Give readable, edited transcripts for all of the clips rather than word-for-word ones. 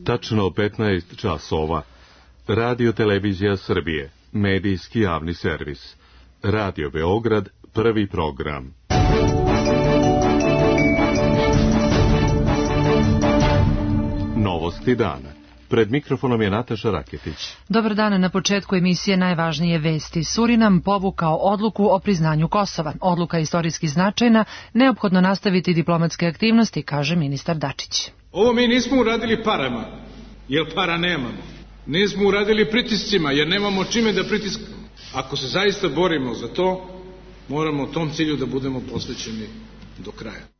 Tačno 15 časova. Radio Televizija Srbije, medijski javni servis. Radio Beograd, prvi program. Novosti dana. Pred mikrofonom je Nataša Raketić. Dobar dan, na početku emisije najvažnije vesti. Surinam povukao odluku o priznanju Kosova. Odluka je istorijski značajna, neophodno nastaviti diplomatske aktivnosti, kaže ministar Dačić. Ovo mi nismo uradili parama, jer para nemamo. Nismo uradili pritiscima, jer nemamo čime da pritiskamo. Ako se zaista borimo za to, moramo tom cilju da budemo posvećeni do kraja.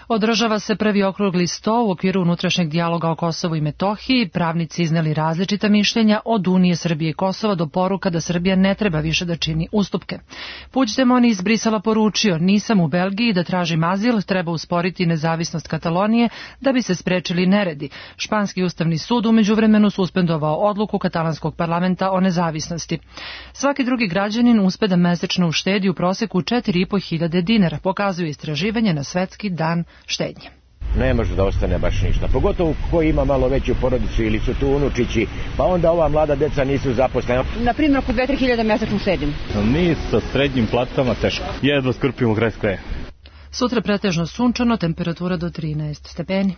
Održava se prvi okrugli sto u okviru unutrašnjeg dijaloga o Kosovu i Metohiji. Pravnici izneli različita mišljenja od Unije Srbije i Kosova do poruka da Srbija ne treba više da čini ustupke. Puigdemont iz Brisela poručio: nisam u Belgiji da tražim azil, treba usporiti nezavisnost Katalonije da bi se sprečili neredi. Španski ustavni sud u međuvremenu suspendovao odluku katalanskog parlamenta o nezavisnosti. Svaki drugi građanin uspe da mesečno uštedi u proseku 4.500 dinara, pokazuje istraživanje na Svetski dan štednje. Ne može da ostane baš ništa, pogotovo ko ima malo veću porodicu ili su tu unučići, pa onda ova mlada deca nisu zaposlena. Na primjer, oko 2-3 hiljada mesečno štedim. Mi sa srednjim platama teško, jedva skrpimo kraj s kraja. Sutra pretežno sunčano, temperatura do 13 stepeni.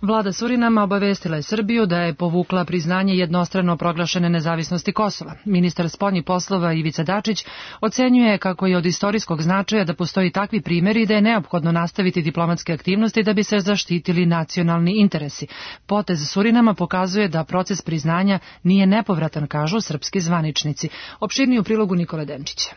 Vlada Surinama obavestila je Srbiju da je povukla priznanje jednostrano proglašene nezavisnosti Kosova. Ministar spoljnih poslova Ivica Dačić ocenjuje kako je od istorijskog značaja da postoji takvi primjeri i da je neophodno nastaviti diplomatske aktivnosti da bi se zaštitili nacionalni interesi. Potez Surinama pokazuje da proces priznanja nije nepovratan, kažu srpski zvaničnici. Opširniji u prilogu Nikole Denčića.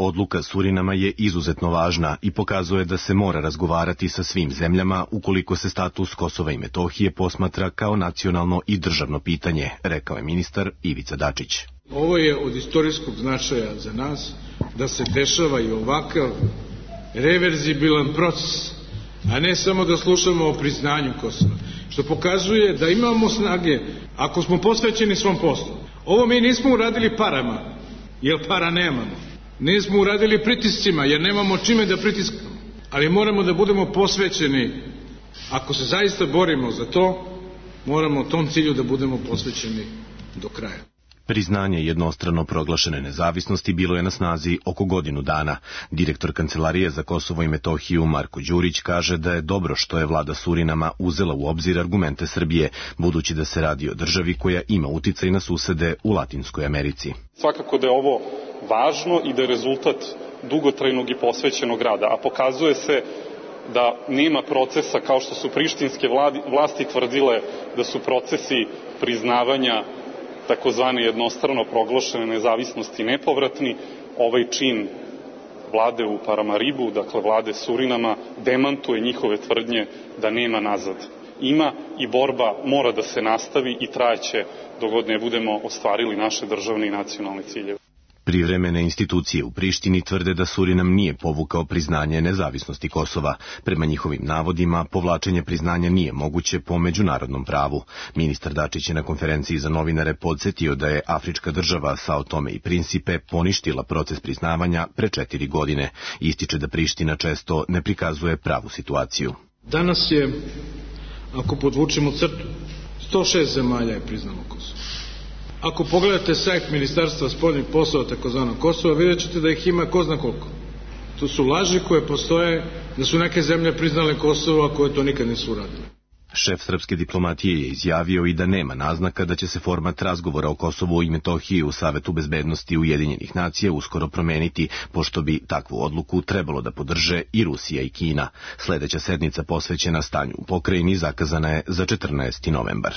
Odluka Surinama je izuzetno važna i pokazuje da se mora razgovarati sa svim zemljama ukoliko se status Kosova i Metohije posmatra kao nacionalno i državno pitanje, rekao je ministar Ivica Dačić. Ovo je od istorijskog značaja za nas da se dešava i ovakav reverzibilan proces, a ne samo da slušamo o priznanju Kosova, što pokazuje da imamo snage ako smo posvećeni svom poslu. Ovo mi nismo uradili parama, jer para nemamo. Nismo uradili pritiscima, jer nemamo čime da pritiskamo, ali moramo da budemo posvećeni. Ako se zaista borimo za to, moramo tom cilju da budemo posvećeni do kraja. Priznanje jednostrano proglašene nezavisnosti bilo je na snazi oko godinu dana. Direktor Kancelarije za Kosovo i Metohiju Marko Đurić kaže da je dobro što je vlada Surinama uzela u obzir argumente Srbije, budući da se radi o državi koja ima uticaj na susede u Latinskoj Americi. Svakako da je ovo važno i da je rezultat dugotrajnog i posvećenog rada, a pokazuje se da nema procesa kao što su prištinske vlasti tvrdile da su procesi priznavanja takozvane jednostrano proglašene nezavisnosti nepovratni. Ovaj čin vlade u Paramaribu, dakle vlade Surinama, demantuje njihove tvrdnje da nema nazad. Ima i borba mora da se nastavi i trajeće dok god ne budemo ostvarili naše državne i nacionalne ciljeve. Privremene institucije u Prištini tvrde da Surinam nije povukao priznanje nezavisnosti Kosova. Prema njihovim navodima, povlačenje priznanja nije moguće po međunarodnom pravu. Ministar Dačić je na konferenciji za novinare podsjetio da je afrička država Sao Tome i Principe poništila proces priznavanja pre 4 godine. Ističe da Priština često ne prikazuje pravu situaciju. Danas je, ako podvučemo crtu, 106 zemalja je priznalo Kosovo. Ako pogledate sajt Ministarstva spoljnih poslova takozvanog Kosova, vidjet ćete da ih ima ko zna koliko. To su laži koje postoje, da su neke zemlje priznale Kosovo, a koje to nikad nisu uradile. Šef srpske diplomatije je izjavio i da nema naznaka da će se format razgovora o Kosovu i Metohiji u Savetu bezbednosti Ujedinjenih nacija uskoro promeniti, pošto bi takvu odluku trebalo da podrže i Rusija i Kina. Sledeća sednica posvećena stanju u pokrajini zakazana je za 14. novembar.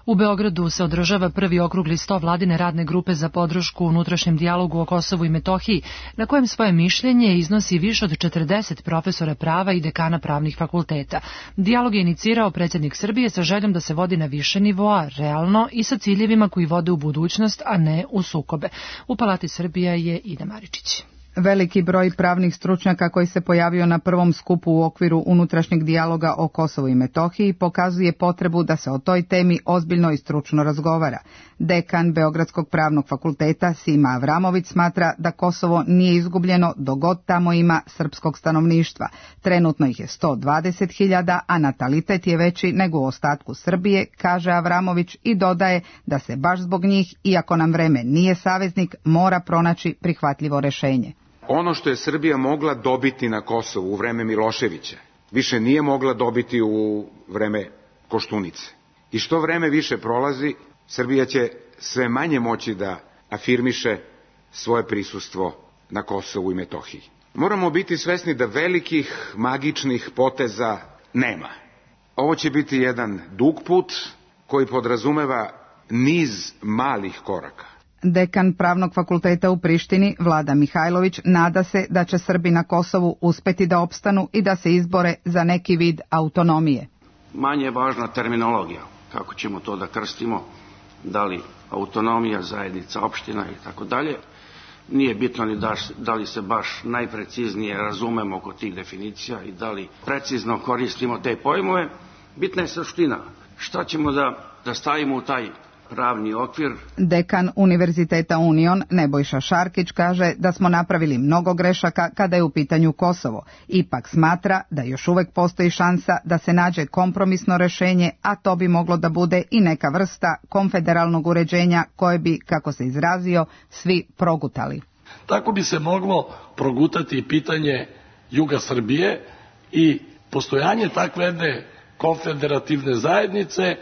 U Beogradu se održava prvi okrugli sto vladine radne grupe za podršku unutrašnjem dijalogu o Kosovu i Metohiji, na kojem svoje mišljenje iznosi više od 40 profesora prava i dekana pravnih fakulteta. Dijalog je inicirao predsjednik Srbije sa željom da se vodi na više nivoa, realno i sa ciljevima koji vode u budućnost, a ne u sukobe. U Palati Srbija je Ida Maričić. Veliki broj pravnih stručnjaka koji se pojavio na prvom skupu u okviru unutrašnjeg dijaloga o Kosovu i Metohiji pokazuje potrebu da se o toj temi ozbiljno i stručno razgovara. Dekan Beogradskog pravnog fakulteta Sima Avramović smatra da Kosovo nije izgubljeno dok god tamo ima srpskog stanovništva. Trenutno ih je 120.000, a natalitet je veći nego u ostatku Srbije, kaže Avramović i dodaje da se baš zbog njih, iako nam vreme nije saveznik, mora pronaći prihvatljivo rešenje. Ono što je Srbija mogla dobiti na Kosovu u vreme Miloševića, više nije mogla dobiti u vreme Koštunice. I što vreme više prolazi, Srbija će sve manje moći da afirmiše svoje prisustvo na Kosovu i Metohiji. Moramo biti svesni da velikih magičnih poteza nema. Ovo će biti jedan dug put koji podrazumeva niz malih koraka. Dekan Pravnog fakulteta u Prištini, Vlada Mihajlović, nada se da će Srbi na Kosovu uspeti da opstanu i da se izbore za neki vid autonomije. Manje je važna terminologija, kako ćemo to da krstimo, da li autonomija, zajednica, opština i tako dalje. Nije bitno ni da li se baš najpreciznije razumemo oko tih definicija i da li precizno koristimo te pojmove. Bitna je suština. Šta ćemo da stavimo u taj pravni okvir? Dekan Univerziteta Union Nebojša Šarkić kaže da smo napravili mnogo grešaka kada je u pitanju Kosovo. Ipak smatra da još uvek postoji šansa da se nađe kompromisno rešenje, a to bi moglo da bude i neka vrsta konfederalnog uređenja koje bi, kako se izrazio, svi progutali. Tako bi se moglo progutati pitanje juga Srbije i postojanje takve jedne konfederativne zajednice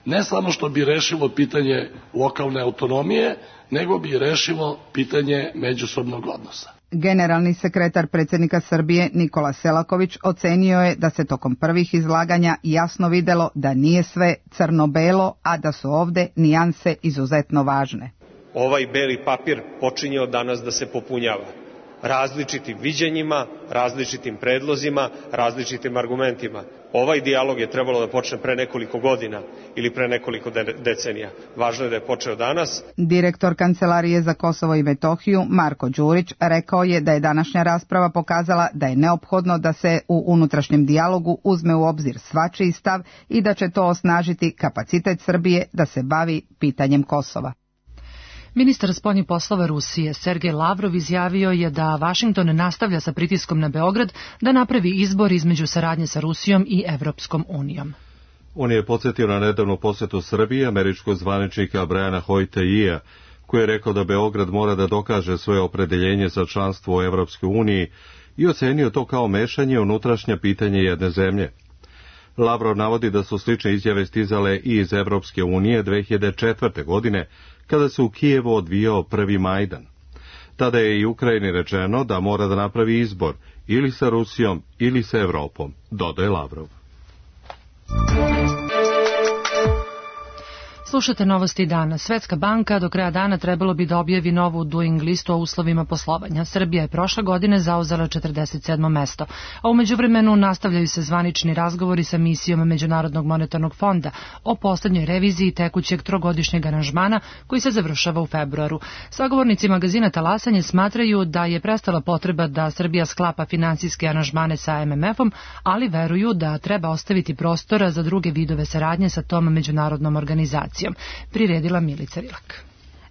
ne samo što bi rešilo pitanje lokalne autonomije, nego bi rešilo pitanje međusobnog odnosa. Generalni sekretar predsjednika Srbije Nikola Selaković ocenio je da se tokom prvih izlaganja jasno videlo da nije sve crno-belo, a da su ovde nijanse izuzetno važne. Ovaj beli papir počinje od danas da se popunjava različitim viđenjima, različitim predlozima, različitim argumentima. Ovaj dijalog je trebalo da počne pre nekoliko godina ili pre nekoliko decenija. Važno je da je počeo danas. Direktor Kancelarije za Kosovo i Metohiju Marko Đurić rekao je da je današnja rasprava pokazala da je neophodno da se u unutrašnjem dijalogu uzme u obzir svačiji stav i da će to osnažiti kapacitet Srbije da se bavi pitanjem Kosova. Ministar spoljnih poslova Rusije Sergej Lavrov izjavio je da Vašington nastavlja sa pritiskom na Beograd da napravi izbor između saradnje sa Rusijom i Evropskom unijom. On je podsjetio na nedavnu posjetu Srbije američkog zvaničnika Briana Hoyte-Ija, koji je rekao da Beograd mora da dokaže svoje opredeljenje za članstvo u Evropskoj uniji i ocenio to kao mešanje unutrašnja pitanje jedne zemlje. Lavrov navodi da su slične izjave stizale i iz Evropske unije 2004. godine, kada se u Kijevu odvijao prvi Majdan. Tada je i Ukrajini rečeno da mora da napravi izbor ili sa Rusijom ili sa Evropom, dodaje Lavrov. Slušate novosti dana. Svetska banka do kraja dana trebalo bi da objavi novu doing listu o uslovima poslovanja. Srbija je prošle godine zauzela 47. mesto, a u međuvremenu nastavljaju se zvanični razgovori sa misijom Međunarodnog monetarnog fonda o poslednjoj reviziji tekućeg trogodišnjeg aranžmana koji se završava u februaru. Sagovornici magazina Talasanje smatraju da je prestala potreba da Srbija sklapa finansijske aranžmane sa MMF-om, ali veruju da treba ostaviti prostora za druge vidove saradnje sa tom međunarodnom organizacijom. Priredila Milica Rilak.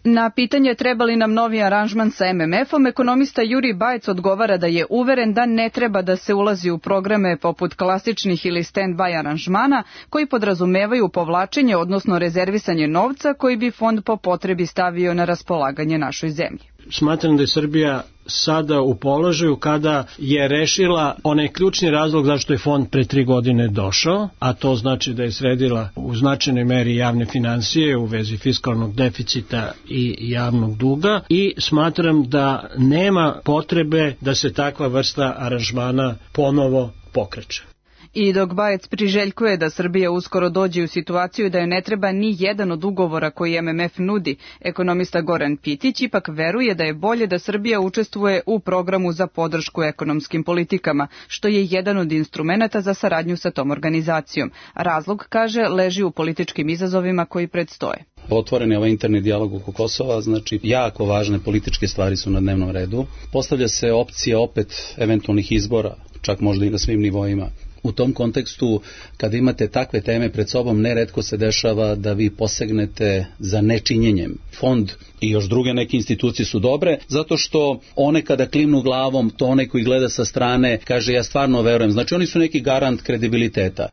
Na pitanje treba li nam novi aranžman sa MMF-om, ekonomista Jurij Bajec odgovara da je uveren da ne treba da se ulazi u programe poput klasičnih ili stand-by aranžmana koji podrazumevaju povlačenje, odnosno rezervisanje novca koji bi fond po potrebi stavio na raspolaganje našoj zemlji. Smatram da je Srbija sada u položaju kada je rešila onaj ključni razlog zašto je fond pre 3 godine došao, a to znači da je sredila u značajnoj meri javne finansije u vezi fiskalnog deficita i javnog duga i smatram da nema potrebe da se takva vrsta aranžmana ponovo pokreće. I dok Bajec priželjkuje da Srbija uskoro dođe u situaciju da joj ne treba ni jedan od ugovora koji MMF nudi, ekonomista Goran Pitić ipak veruje da je bolje da Srbija učestvuje u programu za podršku ekonomskim politikama, što je jedan od instrumenata za saradnju sa tom organizacijom. Razlog, kaže, leži u političkim izazovima koji predstoje. Otvoren je ovaj interni dijalog oko Kosova, znači jako važne političke stvari su na dnevnom redu. Postavlja se opcija opet eventualnih izbora, čak možda i na svim nivoima. U tom kontekstu, kada imate takve teme pred sobom, neretko se dešava da vi posegnete za nečinjenjem. Fond i još druge neke institucije su dobre, zato što one kada klimnu glavom, to onaj koji gleda sa strane kaže ja stvarno verujem. Znači oni su neki garant kredibiliteta.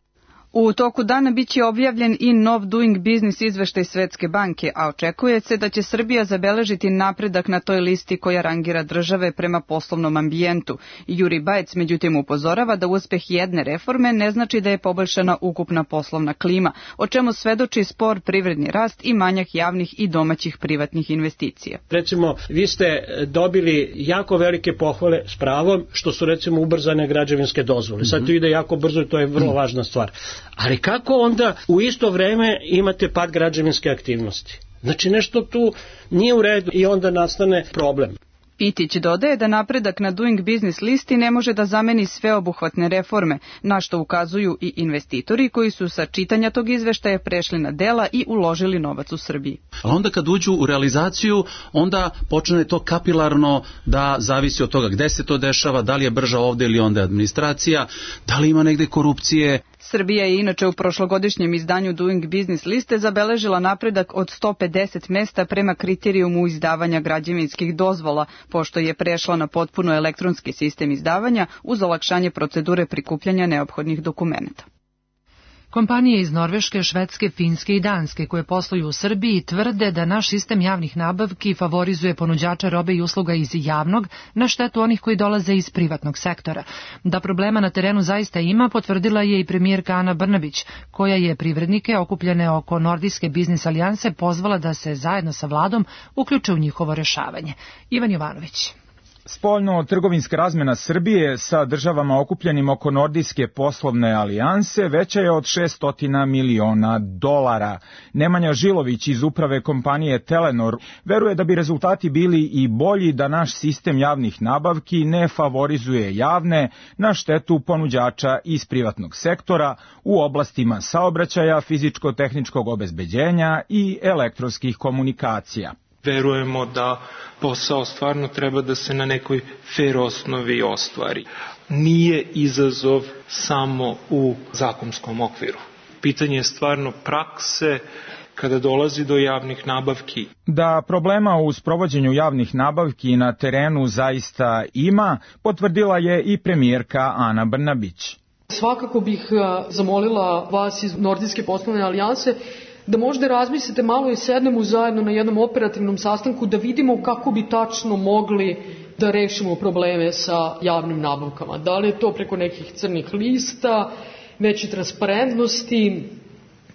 U toku dana biće objavljen i nov Doing Business izveštaj Svetske banke, a očekuje se da će Srbija zabeležiti napredak na toj listi koja rangira države prema poslovnom ambijentu. Juri Bajec međutim upozorava da uspeh jedne reforme ne znači da je poboljšana ukupna poslovna klima, o čemu svedoči spor privredni rast i manjak javnih i domaćih privatnih investicija. Recimo, vi ste dobili jako velike pohvale s pravom što su recimo ubrzane građevinske dozvole. Sad to ide jako brzo i to je vrlo važna stvar. Ali kako onda u isto vreme imate pad građevinske aktivnosti? Znači nešto tu nije u redu i onda nastane problem. Pitić dodaje da napredak na Doing Business listi ne može da zameni sveobuhvatne reforme, na što ukazuju i investitori koji su sa čitanja tog izveštaja prešli na dela i uložili novac u Srbiji. Ali onda kad uđu u realizaciju, onda počne to kapilarno da zavisi od toga gde se to dešava, da li je brža ovde ili onda administracija, da li ima negde korupcije. Srbija je inače u prošlogodišnjem izdanju Doing Business liste zabeležila napredak od 150 mesta prema kriterijumu izdavanja građevinskih dozvola, pošto je prešla na potpuno elektronski sistem izdavanja uz olakšanje procedure prikupljanja neophodnih dokumenata. Kompanije iz Norveške, Švedske, Finske i Danske koje posluju u Srbiji tvrde da naš sistem javnih nabavki favorizuje ponuđača robe i usluga iz javnog na štetu onih koji dolaze iz privatnog sektora. Da problema na terenu zaista ima, potvrdila je i premijerka Ana Brnabić, koja je privrednike okupljene oko Nordijske biznis alijanse pozvala da se zajedno sa vladom uključe u njihovo rešavanje. Ivan Jovanović. Spoljno-trgovinska razmena Srbije sa državama okupljenim oko Nordijske poslovne alijanse veća je od $600 miliona. Nemanja Žilović iz uprave kompanije Telenor veruje da bi rezultati bili i bolji da naš sistem javnih nabavki ne favorizuje javne na štetu ponuđača iz privatnog sektora u oblastima saobraćaja, fizičko-tehničkog obezbeđenja i elektronskih komunikacija. Verujemo da posao stvarno treba da se na nekoj fer osnovi ostvari. Nije izazov samo u zakonskom okviru. Pitanje je stvarno prakse kada dolazi do javnih nabavki. Da problema u sprovođenju javnih nabavki na terenu zaista ima, potvrdila je i premijerka Ana Brnabić. Svakako bih zamolila vas iz Nordijske poslovne alijanse da možda razmislite malo i sednemo zajedno na jednom operativnom sastanku da vidimo kako bi tačno mogli da rešimo probleme sa javnim nabavkama. Da li je to preko nekih crnih lista, veće transparentnosti,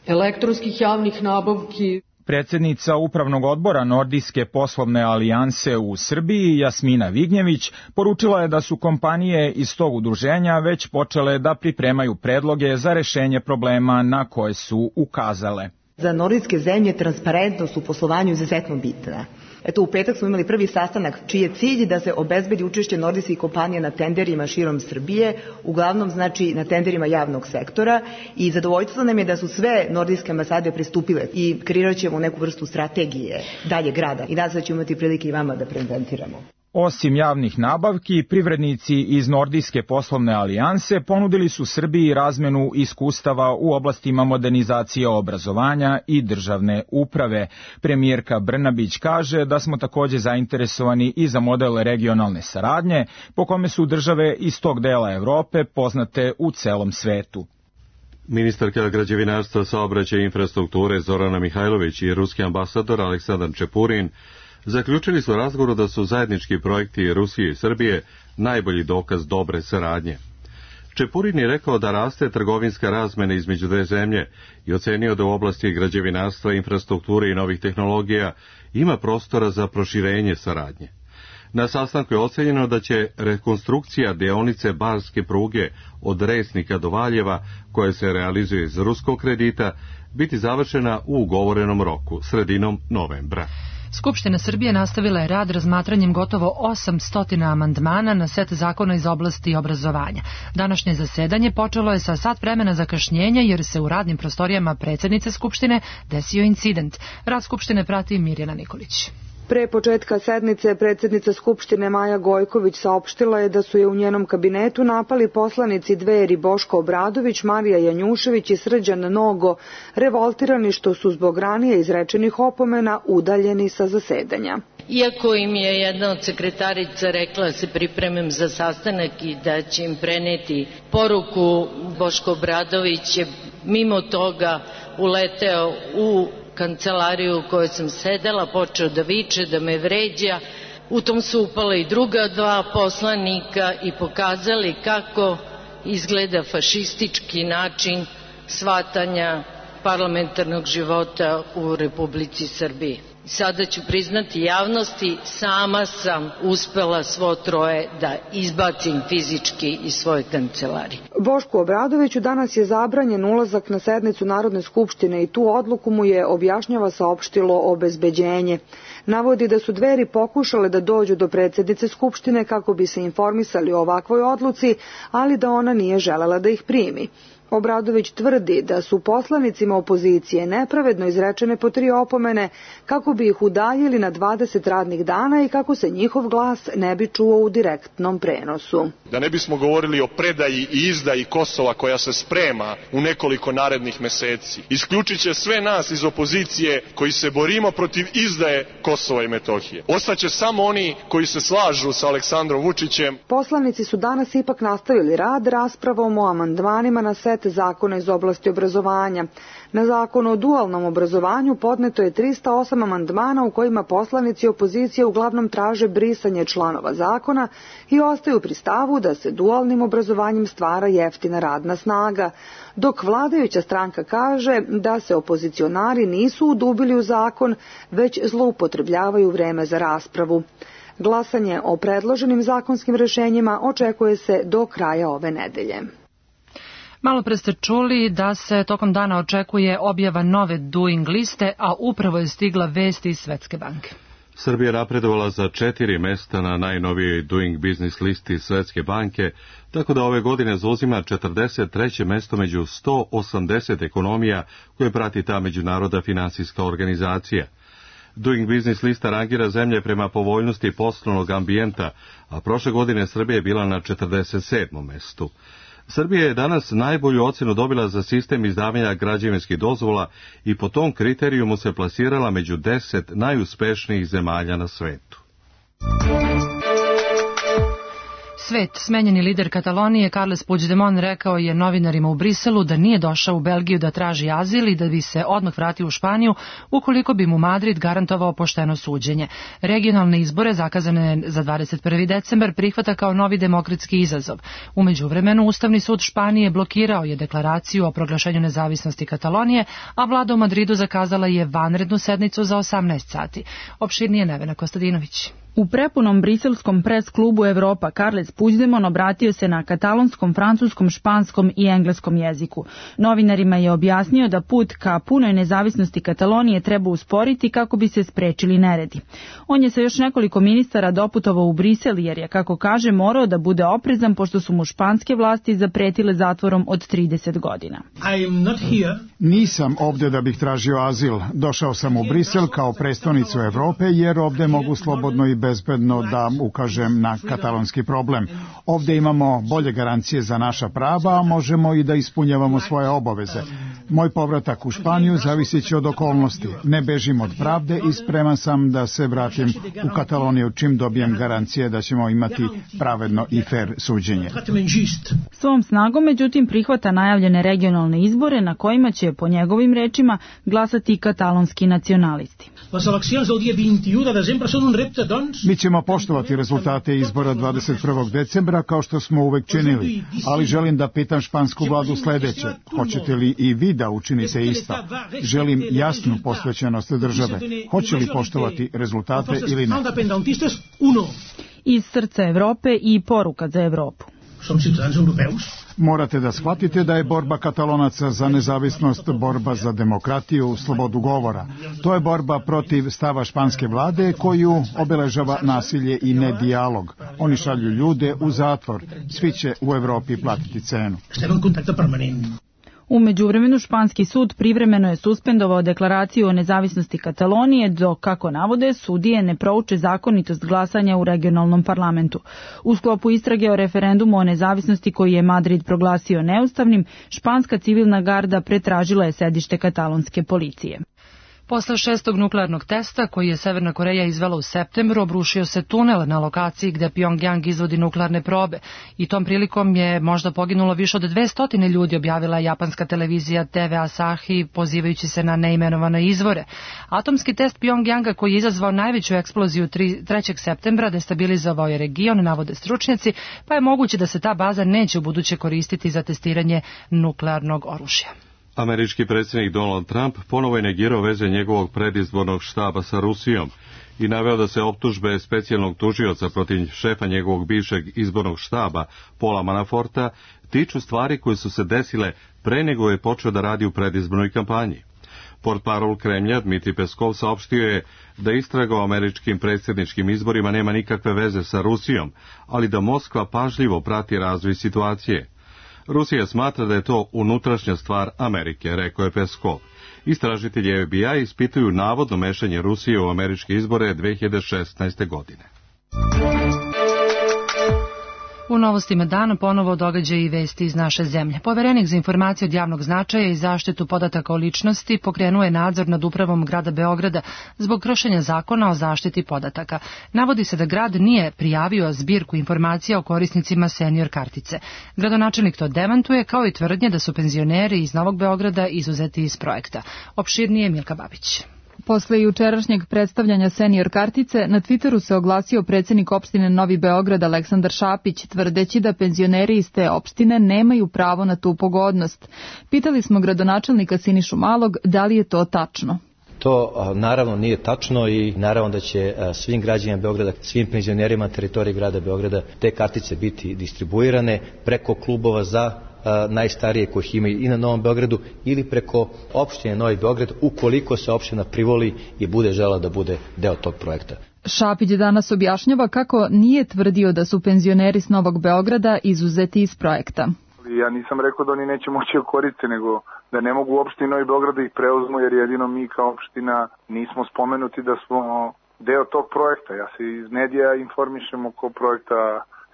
elektronskih javnih nabavki. Predsjednica Upravnog odbora Nordijske poslovne alijanse u Srbiji, Jasmina Vignjević, poručila je da su kompanije iz tog udruženja već počele da pripremaju predloge za rešenje problema na koje su ukazale. Za nordijske zemlje transparentnost u poslovanju izuzetno bitna. Eto, u petak smo imali prvi sastanak čiji je cilj da se obezbedi učešće nordijskih kompanija na tenderima širom Srbije, uglavnom znači na tenderima javnog sektora, i zadovoljstvo nam je da su sve nordijske ambasade pristupile i kreirat ćemo neku vrstu strategije daljeg rada i nadam se da ćemo imati prilike i vama da prezentiramo. Osim javnih nabavki, privrednici iz Nordijske poslovne alijanse ponudili su Srbiji razmenu iskustava u oblastima modernizacije obrazovanja i državne uprave. Premijerka Brnabić kaže da smo takođe zainteresovani i za model regionalne saradnje, po kome su države iz tog dela Evrope poznate u celom svetu. Ministarka građevinarstva, saobraćaja i infrastrukture Zorana Mihajlović i ruski ambasador Aleksandar Čepurin zaključili su razgovoru da su zajednički projekti Rusije i Srbije najbolji dokaz dobre saradnje. Čepurin je rekao da raste trgovinska razmena između dve zemlje i ocenio da u oblasti građevinarstva, infrastrukture i novih tehnologija ima prostora za proširenje saradnje. Na sastanku je ocenjeno da će rekonstrukcija deonice barske pruge od Resnika do Valjeva, koja se realizuje iz ruskog kredita, biti završena u ugovorenom roku, sredinom novembra. Skupština Srbije nastavila je rad razmatranjem gotovo 800 amandmana na set zakona iz oblasti obrazovanja. Današnje zasedanje počelo je sa sat vremena zakašnjenja jer se u radnim prostorijama predsjednice Skupštine desio incident. Rad Skupštine prati Mirjana Nikolić. Pre početka sednice predsjednica Skupštine Maja Gojković saopštila je da su je u njenom kabinetu napali poslanici Dveri Boško Obradović, Marija Janjušević i Srđan Nogo, revoltirani što su zbog ranije izrečenih opomena udaljeni sa zasedanja. Iako im je jedna od sekretarica rekla da se pripremim za sastanak i da će im preneti poruku, Boško Obradović je mimo toga uleteo u kancelariju u kojoj sam sedela, počeo da viče, da me vređa. U tom su upala i druga dva poslanika i pokazali kako izgleda fašistički način shvatanja parlamentarnog života u Republici Srbiji. Sada ću priznati javnosti, sama sam uspela svo troje da izbacim fizički iz svoje kancelarije. Bošku Obradoviću danas je zabranjen ulazak na sednicu Narodne skupštine i tu odluku mu je, objašnjava, saopštilo obezbeđenje. Navodi da su Dveri pokušale da dođu do predsjednice Skupštine kako bi se informisali o ovakvoj odluci, ali da ona nije želela da ih primi. Obradović tvrdi da su poslanicima opozicije nepravedno izrečene po 3 opomene kako bi ih udaljili na 20 radnih dana i kako se njihov glas ne bi čuo u direktnom prenosu. Da ne bismo govorili o predaji i izdaji Kosova koja se sprema u nekoliko narednih meseci, isključit će sve nas iz opozicije koji se borimo protiv izdaje Kosova i Metohije. Ostaće samo oni koji se slažu sa Aleksandrom Vučićem. Poslanici su danas ipak nastavili rad raspravom o amandmanima na set zakona iz oblasti obrazovanja. Na zakon o dualnom obrazovanju podneto je 308 amandmana u kojima poslanici opozicije uglavnom traže brisanje članova zakona i ostaju pri stavu da se dualnim obrazovanjem stvara jeftina radna snaga, dok vladajuća stranka kaže da se opozicionari nisu udubili u zakon, već zloupotrebljavaju vreme za raspravu. Glasanje o predloženim zakonskim rešenjima očekuje se do kraja ove nedelje. Malo pre ste čuli da se tokom dana očekuje objava nove Doing liste, a upravo je stigla vest iz Svetske banke. Srbija je napredovala za 4 mesta na najnovijoj Doing Business listi Svetske banke, tako da ove godine zauzima 43. mesto među 180 ekonomija koje prati ta međunarodna finansijska organizacija. Doing Business lista rangira zemlje prema povoljnosti poslovnog ambijenta, a prošle godine Srbija je bila na 47. mestu. Srbija je danas najbolju ocenu dobila za sistem izdavanja građevinskih dozvola i po tom kriterijumu se plasirala među 10 najuspešnijih zemalja na svetu. Smenjeni lider Katalonije Carles Puigdemont rekao je novinarima u Briselu da nije došao u Belgiju da traži azil i da bi se odmah vratio u Španiju ukoliko bi mu Madrid garantovao pošteno suđenje. Regionalne izbore zakazane za 21. decembar prihvata kao novi demokratski izazov. U međuvremenu Ustavni sud Španije blokirao je deklaraciju o proglašenju nezavisnosti Katalonije, a vlada u Madridu zakazala je vanrednu sednicu za 18 sati. Opširnije Nevena Kostadinović. U prepunom briselskom pres klubu Evropa Carles Puigdemont obratio se na katalonskom, francuskom, španskom i engleskom jeziku. Novinarima je objasnio da put ka punoj nezavisnosti Katalonije treba usporiti kako bi se sprečili neredi. On je sa još nekoliko ministara doputovao u Brisel jer je, kako kaže, morao da bude oprezan pošto su mu španske vlasti zapretile zatvorom od 30 godina. Nisam ovde da bih tražio azil. Došao sam u Brisel kao prestonicu Evrope jer ovde mogu slobodno i bezbedno da ukažem na katalonski problem. Ovde imamo bolje garancije za naša prava, a možemo i da ispunjavamo svoje obaveze. Moj povratak u Španiju zavisit će od okolnosti. Ne bežim od pravde i spreman sam da se vratim u Kataloniju čim dobijem garancije da ćemo imati pravedno i fer suđenje. Svom snagom, međutim, prihvata najavljene regionalne izbore na kojima će, po njegovim rečima, glasati katalonski nacionalisti. Mi ćemo poštovati rezultate izbora 21. decembra kao što smo uvek činili, ali želim da pitam špansku vladu sledeće. Hoćete li i vi da učinite isto? Želim jasnu posvećenost države. Hoće li poštovati rezultate ili ne? Iz srca Evrope i poruka za Evropu. Morate da shvatite da je borba Katalonaca za nezavisnost borba za demokratiju, slobodu govora. To je borba protiv stava španske vlade koju obeležava nasilje i nedijalog. Oni šalju ljude u zatvor. Svi će u Evropi platiti cenu. U međuvremenu španski sud privremeno je suspendovao deklaraciju o nezavisnosti Katalonije dok, kako navode, sudije ne prouče zakonitost glasanja u regionalnom parlamentu. U sklopu istrage o referendumu o nezavisnosti koji je Madrid proglasio neustavnim, španska civilna garda pretražila je sedište katalonske policije. Posle 6. nuklearnog testa, koji je Severna Koreja izvela u septembru, obrušio se tunel na lokaciji gde Pjongjang izvodi nuklearne probe i tom prilikom je možda poginulo više od 200 ljudi, objavila japanska televizija TV Asahi, pozivajući se na neimenovane izvore. Atomski test Pjongjanga, koji je izazvao najveću eksploziju 3. septembra, destabilizovao je region, navode stručnjaci, pa je moguće da se ta baza neće ubuduće koristiti za testiranje nuklearnog oružja. Američki predsjednik Donald Trump ponovo je negirao veze njegovog predizbornog štaba sa Rusijom i naveo da se optužbe specijalnog tužioca protiv šefa njegovog bivšeg izbornog štaba, Paula Manaforta, tiču stvari koje su se desile pre nego je počeo da radi u predizbornoj kampanji. Portparol Kremlja Dmitri Peskov saopštio je da istraga o američkim predsjedničkim izborima nema nikakve veze sa Rusijom, ali da Moskva pažljivo prati razvoj situacije. Rusija smatra da je to unutrašnja stvar Amerike, rekao je Peskov. Istražitelji FBI ispituju navodno mešanje Rusije u američke izbore 2016. godine. U novostima dana ponovo događaje i vesti iz naše zemlje. Poverenik za informacije od javnog značaja i zaštitu podataka o ličnosti pokrenuo je nadzor nad upravom grada Beograda zbog kršenja zakona o zaštiti podataka. Navodi se da grad nije prijavio zbirku informacija o korisnicima senior kartice. Gradonačelnik to demantuje, kao i tvrdnje da su penzioneri iz Novog Beograda izuzeti iz projekta. Opširnije Milka Babić. Posle jučerašnjeg predstavljanja senior kartice, na Twitteru se oglasio predsjednik opštine Novi Beograd Aleksandar Šapić, tvrdeći da penzioneri iz te opštine nemaju pravo na tu pogodnost. Pitali smo gradonačelnika Sinišu Malog da li je to tačno. To naravno nije tačno i naravno da će svim građanima Beograda, svim penzionerima na teritoriji grada Beograda te kartice biti distribuirane preko klubova za najstarije kojih ima i na Novom Beogradu ili preko opštine Novi Beograd ukoliko se opština privoli i bude žela da bude deo tog projekta. Šapić danas objašnjava kako nije tvrdio da su penzioneri s Novog Beograda izuzeti iz projekta. Ja nisam rekao da oni neće moći koristiti, nego da ne mogu u opštini Novi Beograd da ih preuzmu, jer jedino mi kao opština nismo spomenuti da smo deo tog projekta. Ja se iz medija informišem oko projekta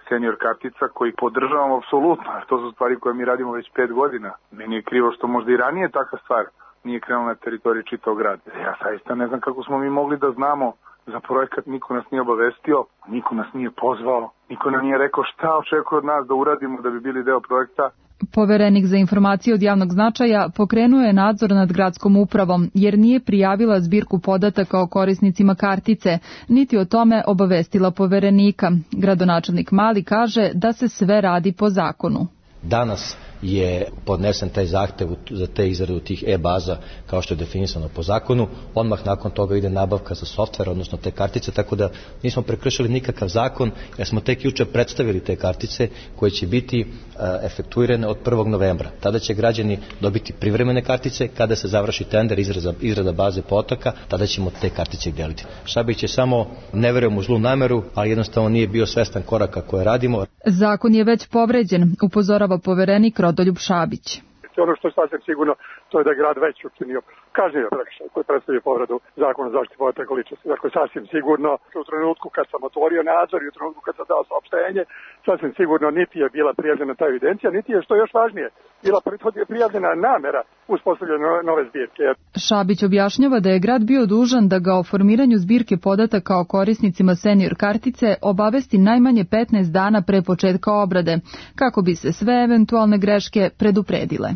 senior kartica koji podržavam apsolutno. To su stvari koje mi radimo već 5 godina. Meni je krivo što možda i ranije takva stvar nije krenula na teritoriji čitavog grada. Ja saista ne znam kako smo mi mogli da znamo za projekat, niko nas nije obavestio, niko nas nije pozvao, niko nam nije rekao šta očekuje od nas da uradimo da bi bili deo projekta. Poverenik za informacije od javnog značaja pokrenuo je nadzor nad gradskom upravom jer nije prijavila zbirku podataka o korisnicima kartice, niti o tome obavestila poverenika. Gradonačelnik Mali kaže da se sve radi po zakonu. Danas je podnesen taj zahtev za te izradu tih e-baza kao što je definisano po zakonu. Odmah nakon toga ide nabavka za softver, odnosno te kartice, tako da nismo prekršili nikakav zakon, jer smo tek juče predstavili te kartice koje će biti efektuirane od 1. novembra. Tada će građani dobiti privremene kartice, kada se završi tender izrada baze podataka, tada ćemo te kartice deliti. Šabić je samo, ne verujem u zlu nameru, ali jednostavno nije bio svestan koraka koje radimo. Zakon je već povređen, upozorava poverenik Rodoljub Šabić. Ono što je sasvim sigurno, to je da je grad već učinio kažnjivio prekršaj koji predstavlja povredu zakona o zaštiti podataka o ličnosti. Dakle, sasvim sigurno u trenutku kad sam otvorio nadzor i u trenutku kad sam dao saopštenje, sasvim sigurno niti je bila prijavljena ta evidencija, niti je, što je još važnije, bila prijavljena namera uspostavljanja nove zbirke. Šabić objašnjava da je grad bio dužan da ga o formiranju zbirke podataka o korisnicima senior kartice obavesti najmanje 15 dana pre početka obrade, kako bi se sve eventualne greške predupredile.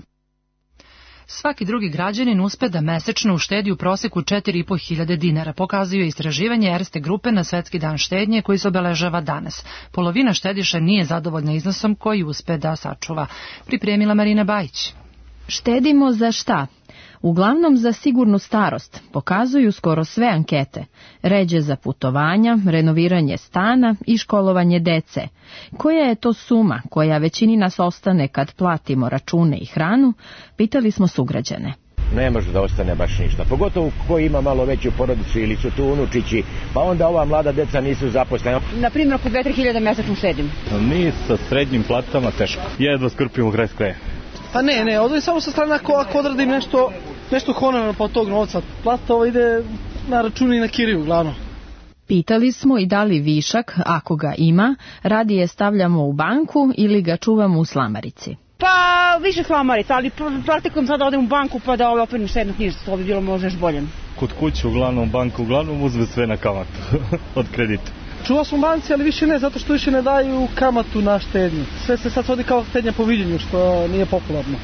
Svaki drugi građanin uspe da mesečno uštedi u proseku 4.500 dinara, pokazuje istraživanje Erste grupe na Svetski dan štednje koji se obeležava danas. Polovina štediša nije zadovoljna iznosom koji uspe da sačuva. Pripremila Marina Bajić. Štedimo za šta? Uglavnom za sigurnu starost, pokazuju skoro sve ankete. Ređe za putovanja, renoviranje stana i školovanje dece. Koja je to suma koja većini nas ostane kad platimo račune i hranu, pitali smo sugrađane. Ne može da ostane baš ništa, pogotovo ko ima malo veću porodicu ili su tu unučići, pa onda ova mlada deca nisu zaposlena. Na primjer, oko 2-3 hiljade mesečno štedim. Mi sa srednjim platama teško, jedva skrpimo kraj s krajem. Pa ne, odvojim samo sa strane ako odradim nešto honorarno po tog novca. Plata ide na račun i na kiriju, glavno. Pitali smo i da li višak, ako ga ima, radije stavljamo u banku ili ga čuvamo u slamarici. Pa više slamarica, ali praktikom sada odem u banku pa da operim štednu knjižicu, to bi bilo možda još bolje. Kod kuće uglavnom banka uzme sve na kamatu od kredita. Čuvao sam u banci, ali više ne, zato što više ne daju kamatu na štednju. Sve se sad svodi kao štednja po viđenju, što nije popularno.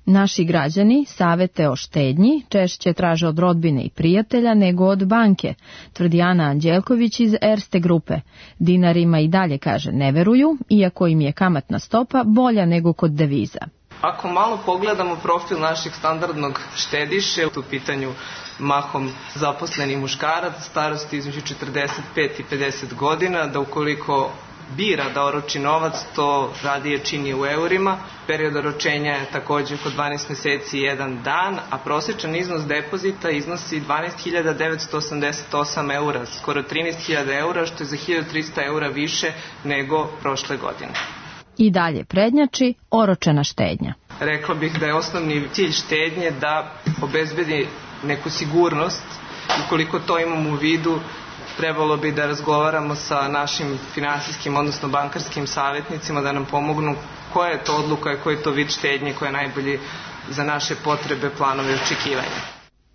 Naši građani savete o štednji češće traže od rodbine i prijatelja nego od banke, tvrdi Ana Anđelković iz Erste grupe. Dinarima i dalje, kaže, ne veruju, iako im je kamatna stopa bolja nego kod deviza. Ako malo pogledamo profil našeg standardnog štediše, u pitanju mahom zaposleni muškarac, starosti između 45 i 50 godina, da ukoliko bira da oroči novac, to radije čini u eurima. Period oročenja je također oko 12 meseci i 1 dan, a prosječan iznos depozita iznosi 12.988 eura, skoro 13.000 eura, što je za 1.300 eura više nego prošle godine. I dalje prednjači oročena štednja. Rekla bih da je osnovni cilj štednje da obezbedi neku sigurnost. Ukoliko to imamo u vidu, trebalo bi da razgovaramo sa našim finansijskim, odnosno bankarskim savjetnicima da nam pomognu koja je to odluka i koji je to vid štednje koja je najbolji za naše potrebe, planove i očekivanja.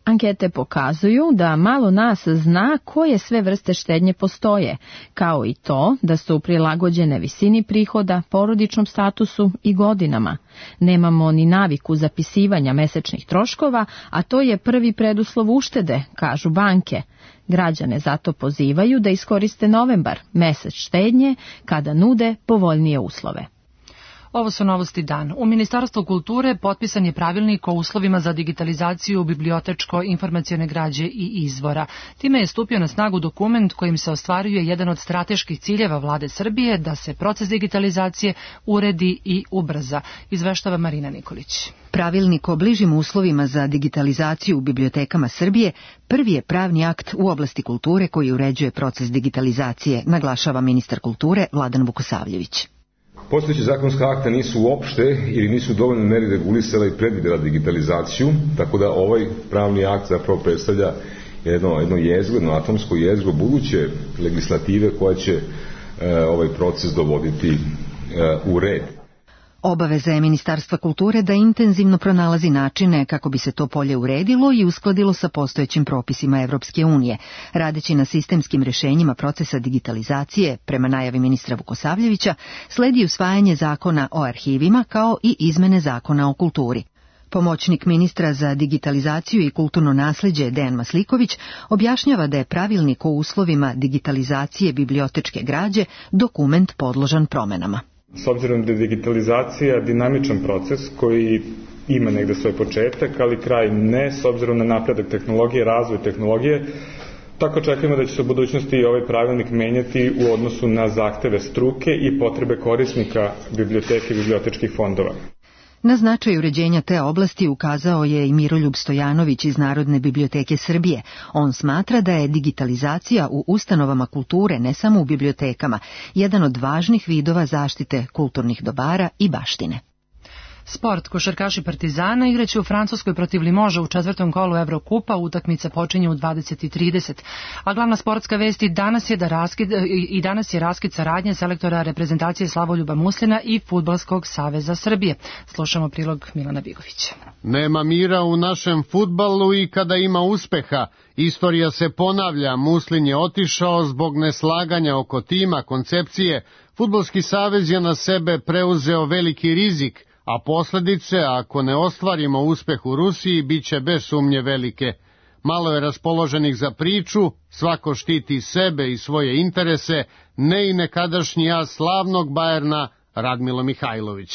Ankete pokazuju da malo nas zna koje sve vrste štednje postoje, kao i to da su prilagođene visini prihoda, porodičnom statusu i godinama. Nemamo ni naviku zapisivanja mesečnih troškova, a to je prvi preduslov uštede, kažu banke. Građane zato pozivaju da iskoriste novembar, mesec štednje, kada nude povoljnije uslove. Ovo su novosti dan. U Ministarstvu kulture potpisan je pravilnik o uslovima za digitalizaciju bibliotečko-informacione građe i izvora. Time je stupio na snagu dokument kojim se ostvaruje jedan od strateških ciljeva vlade Srbije da se proces digitalizacije uredi i ubrza, izveštava Marina Nikolić. Pravilnik o bližim uslovima za digitalizaciju u bibliotekama Srbije prvi je pravni akt u oblasti kulture koji uređuje proces digitalizacije, naglašava ministar kulture Vladan Vukosavljević. Postojeći zakonska akta nisu uopšte ili nisu dovoljno meri regulisala i predvidela digitalizaciju, tako da ovaj pravni akt zapravo predstavlja jedno jezgro, jedno atomsko jezgro buduće legislative koja će ovaj proces dovoditi u red. Obaveza je Ministarstva kulture da intenzivno pronalazi načine kako bi se to polje uredilo i uskladilo sa postojećim propisima Evropske unije, radeći na sistemskim rešenjima procesa digitalizacije. Prema najavi ministra Vukosavljevića sledi usvajanje zakona o arhivima kao i izmene zakona o kulturi. Pomoćnik ministra za digitalizaciju i kulturno nasleđe Dejan Masliković objašnjava da je pravilnik o uslovima digitalizacije bibliotečke građe dokument podložan promenama. S obzirom da je digitalizacija dinamičan proces koji ima negde svoj početak, ali kraj ne, s obzirom na napredak tehnologije, razvoj tehnologije, tako očekujemo da će se u budućnosti i ovaj pravilnik menjati u odnosu na zahteve struke i potrebe korisnika biblioteke i bibliotečkih fondova. Na značaj uređenja te oblasti ukazao je i Miroljub Stojanović iz Narodne biblioteke Srbije. On smatra da je digitalizacija u ustanovama kulture, ne samo u bibliotekama, jedan od važnih vidova zaštite kulturnih dobara i baštine. Sport. Košarkaši Partizana igraće u Francuskoj protiv Limoža u 4. kolu Evrokupa. Utakmica počinje u 20:30. A glavna sportska vest danas je raskid saradnje selektora reprezentacije Slavoljuba Muslina i Fudbalskog saveza Srbije. Slušamo prilog Milana Bigovića. Nema mira u našem fudbalu i kada ima uspeha. Istorija se ponavlja, Muslin je otišao zbog neslaganja oko tima, koncepcije. Fudbalski savez je na sebe preuzeo veliki rizik, a posljedice, ako ne ostvarimo uspeh u Rusiji, bit će bez sumnje velike. Malo je raspoloženih za priču, svako štiti sebe i svoje interese, ne i nekadašnji as slavnog Bajerna Radmilo Mihajlović.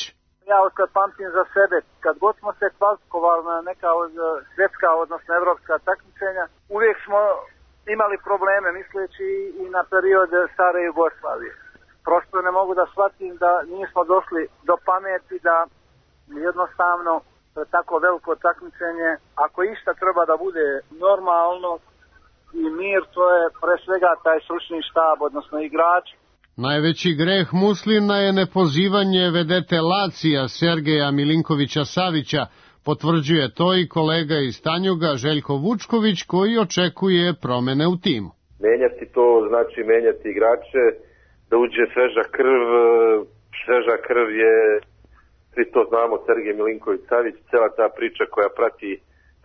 Ja otkad pamtim za sebe, kad god smo se kvalifikovali na neka svjetska, odnosno evropska takmičenja, uvijek smo imali probleme, misleći i na period stare Jugoslavije. Prosto ne mogu da shvatim da nismo došli do pameti da jednostavno tako veliko takmičenje, ako išta treba da bude normalno i mir, to je pre svega taj stručni štab, odnosno igrač. Najveći greh Muslina je nepozivanje vedete Lacija Sergeja Milinkovića Savića, potvrđuje to i kolega iz Tanjuga Željko Vučković koji očekuje promene u timu. Menjati to znači menjati igrače, da uđe sveža krv. Sveža krv je, svi to znamo, Sergej Milinković Savić, cela ta priča koja prati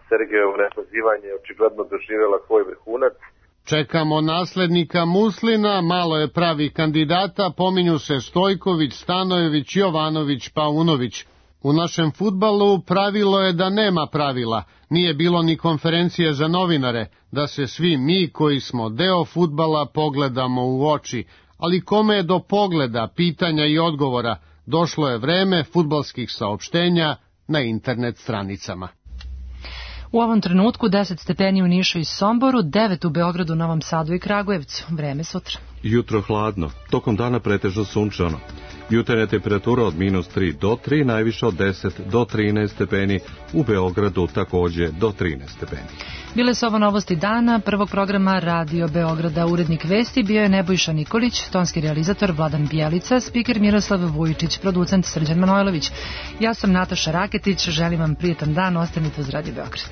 Sergejevo nepozivanje očigledno doživjela svoj vrhunac. Čekamo naslednika Muslina, malo je pravi kandidata, pominju se Stojković, Stanojević, Jovanović, Paunović. U našem fudbalu pravilo je da nema pravila, nije bilo ni konferencije za novinare, da se svi mi koji smo deo fudbala pogledamo u oči, ali kome je do pogleda, pitanja i odgovora, došlo je vreme fudbalskih saopštenja na internet stranicama. U ovom trenutku 10 stepeni u Nišu i Somboru, 9 u Beogradu, Novom Sadu i Kragujevcu. Vreme sutra. Jutro hladno, tokom dana pretežno sunčano. Jutarnja temperatura od -3 do 3, najviše od 10 do 13 stepeni, u Beogradu takođe do 13 stepeni. Bile su ovo novosti dana, prvog programa Radio Beograda. Urednik vesti bio je Nebojša Nikolić, tonski realizator Vladan Bjelica, spiker Miroslav Vujičić, producent Srđan Manojlović. Ja sam Nataša Raketić, želim vam prijetan dan, ostanite uz Radio Beograd.